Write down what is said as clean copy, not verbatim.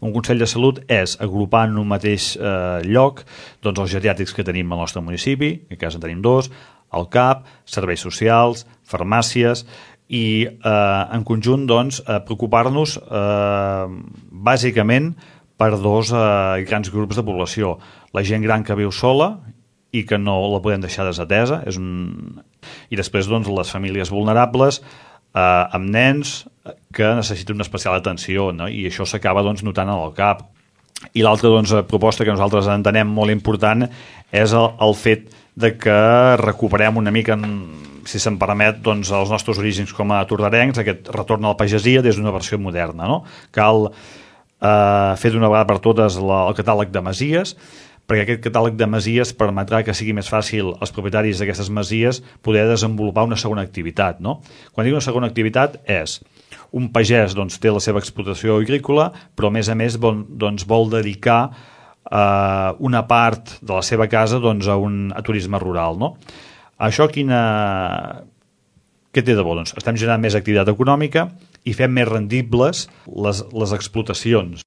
Un Consell de Salut és agrupar en un mateix lloc doncs, els geriàtrics que tenim al nostre municipi, en aquest cas en tenim 2, el CAP, serveis socials, farmàcies, i en conjunt doncs, preocupar-nos bàsicament per 2 grans grups de població. La gent gran que viu sola i que no la podem deixar desatesa, i després doncs, les famílies vulnerables amb nens que necessiten una especial atenció, no? I això s'acaba doncs, notant al CAP. I l'altra doncs, proposta que nosaltres entenem molt important és el fet de que recuperem una mica, si se'm permet, doncs, els nostres orígens com a tordarencs, aquest retorn a la pagesia des d'una versió moderna. No? Cal fer d'una vegada per totes el catàleg de masies, perquè aquest catàleg de masies permetrà que sigui més fàcil als propietaris d'aquestes masies poder desenvolupar una segona activitat. No? Quan dic una segona activitat és un pagès doncs, té la seva explotació agrícola, però a més doncs, vol dedicar una part de la seva casa doncs, a turisme rural. No? Això què té de bo? Doncs estem generant més activitat econòmica i fem més rendibles les explotacions.